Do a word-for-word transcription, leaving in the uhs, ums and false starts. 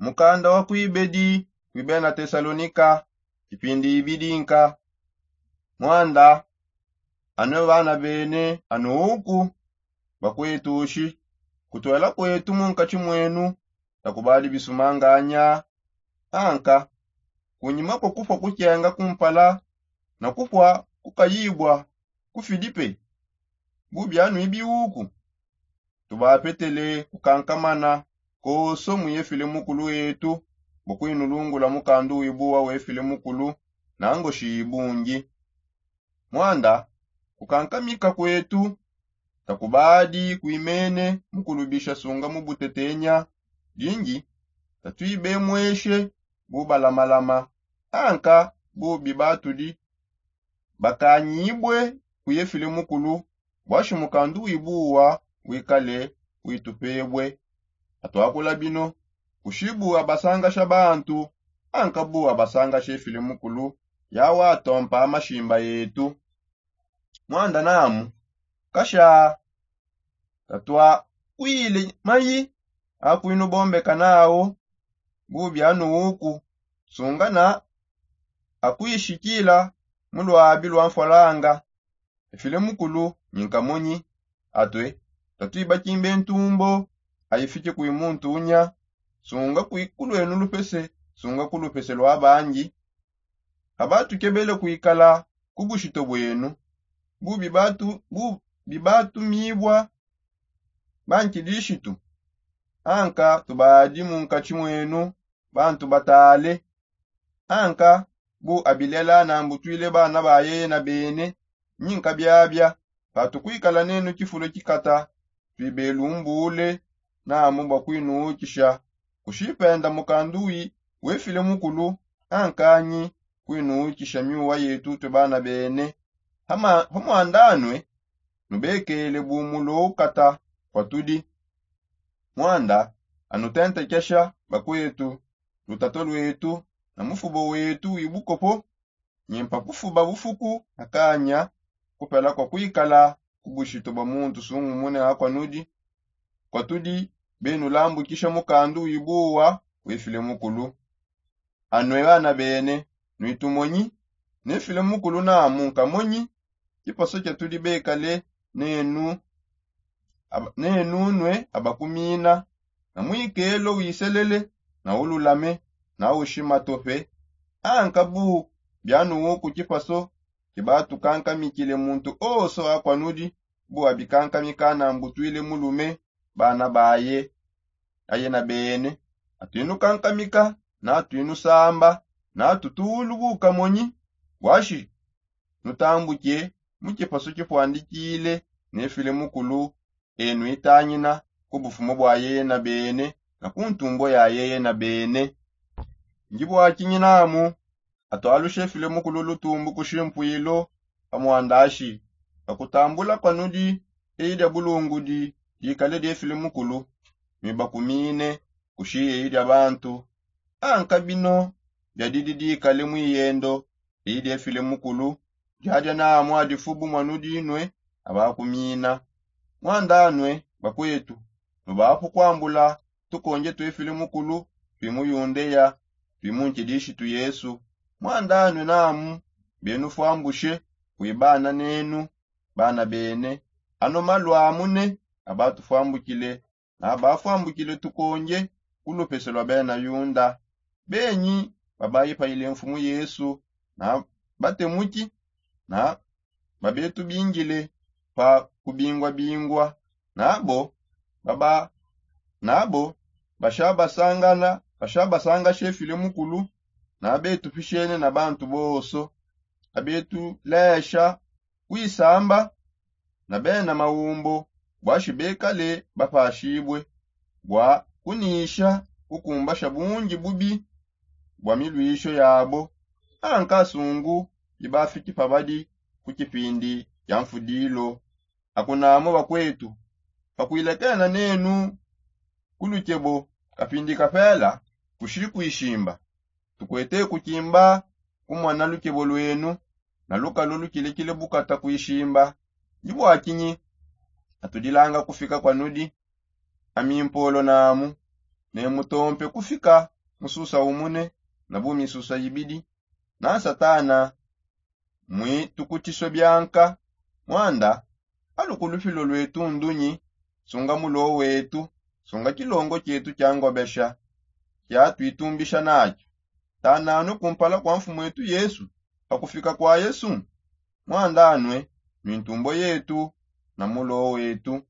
Mukanda wa kuibedi kuibena tesalonika, kipindi ibidi nka. Mwanda, anue bana bene anuuku, bakwetushi kutuela kwetu munkatshi mwenu, takubadi bisumanganya. Anka kunyima kua kufua kukenga kumpala na kufua kukayibua ku filipe, bubi anu ibiuku tubapetele kukankamana koso muyefile mukulu wetu, bua kuinulungula mukandu wibuwa wefile mukulu nangoshi ibungi. Mwanda kukankamika kwetu takubadi kuimene mukulubisha sunga mu butetenya dingi, tatuibemweshe bubalamalama anka bubi batudi bakanyibue kuyefile mukulu, bwashi mukandu wibuwa wikale witupebue. Atuakula bino kushibu abasangasha bantu anka bu abasangasha efile mukulu yawatompa amashimba etu. Mwanda namu kasha katuakwile mayi akuinubombeka nawo bubi anuuku sungana akuishikila mu luabi lua mfualanga. Efile mukulu nyinkamonyi atue tatuibakimbe ntumbo aifike kui muntu unya sunga kui kuluenu lupese sunga ku lupese lua bangi. Abatukebele kuikala ku bushito buenu bubi batumibua bankidishitu anka tubadi munkatshi mwenu bantu batale. Anka bu abilela nambutwile bana ba yeye na bene nyinka biabia patukuikala nenu kifulo kikata tuibelumbule namu bua kuinuukisha kushipenda mukandu wefile mukulu ankanyi kuinuukisha miuwa yetu tue bana bene. Pamwandanue nubekele bumulo ukata kuatudi. Mwanda anutentekesha bakwetu lutato lwetu na mufubo wetu wibukopo nyimpa kufuba bufuku akanya kupela kua kuikala ku bushito bua muntu sungumune akua nudi kua tudi benulambukisha mukandu wibuwa wefile mukulu. Anue bana bene nuitumonyi ne file mukulu namu nkamonyi kipaso kia tudi bekale nenu nue abakumina na muikelo wiselele na ululame na ushima tope. Anka bu bianuuku kipaso kibatukankamikile muntu onso akua nudi bu abikankamika nambutwile mulume bana baye aye na bene atuinukankamika na atuinusamba na atutulu bukamonyi. Bwashi nutambuke mu kipasu kipuandikile ne file mukulu enu itangina ku bufumu bua yeye na bene na ku ntumbo ya yeye na bene. Ndi buakinyinamu atualushe file mukulu lutumbu ku shimpuilu pa muandashi bakutambula panudi eyi dia bulungudi dikale die file mukulu nuibakumine kushi eyi dia bantu. Anka bino biadidi dikale muiyendo eyi die file mukulu diadia namu adifubu muanudi nue abakumina. Muandanue bakuetu nubapu kuambula tukonje tue file mukulu tui mu yundeya tui mu nkidishitu yesu. Muandanue namu benufuambushe kuibana nenu bana bene. Ano malu amu ne abatufuambukile na abafuambukile tukonje ku lupese lua bena yunda benyi babaipayile mfumu yesu na batemuki na babetubingile pa kubingwabingwa nabo baba nabo bashabasangana bashabasangashe file mukulu na betupishene na bantu bonso abetulesha kuisamba na bena maumbo bwashi bekale bapashibue bua kunisha kukumbasha bungi bubi bua miluisho yabo. Anka sungu ibafiki pabadi ku kipindi kia mfudilo. Akunamo bakuetu pakuilekena nenu ku lukebo kapindi kapela kushi kuishimba tukuete kukimba kumona lukebo lwenu na lukalu lukilekile bukata kuishimba. Ndi buakinyi atudilanga kufika kuanudi amimpolo namu ne mutompe kufika mususa umune na bu misusa ibidi. Na satana mwi tukutiswe bianka. Mwanda alukulufilo lwetu ndunyi? Sunga mulo wetu, sunga kilongo kietu kia ngobesha kia twitumbisha nakio. Tananwe kumpala kwa mfumu etu yesu. Pakufika kwa yesu mwandanwe mintumbo yetu na mulo wetu.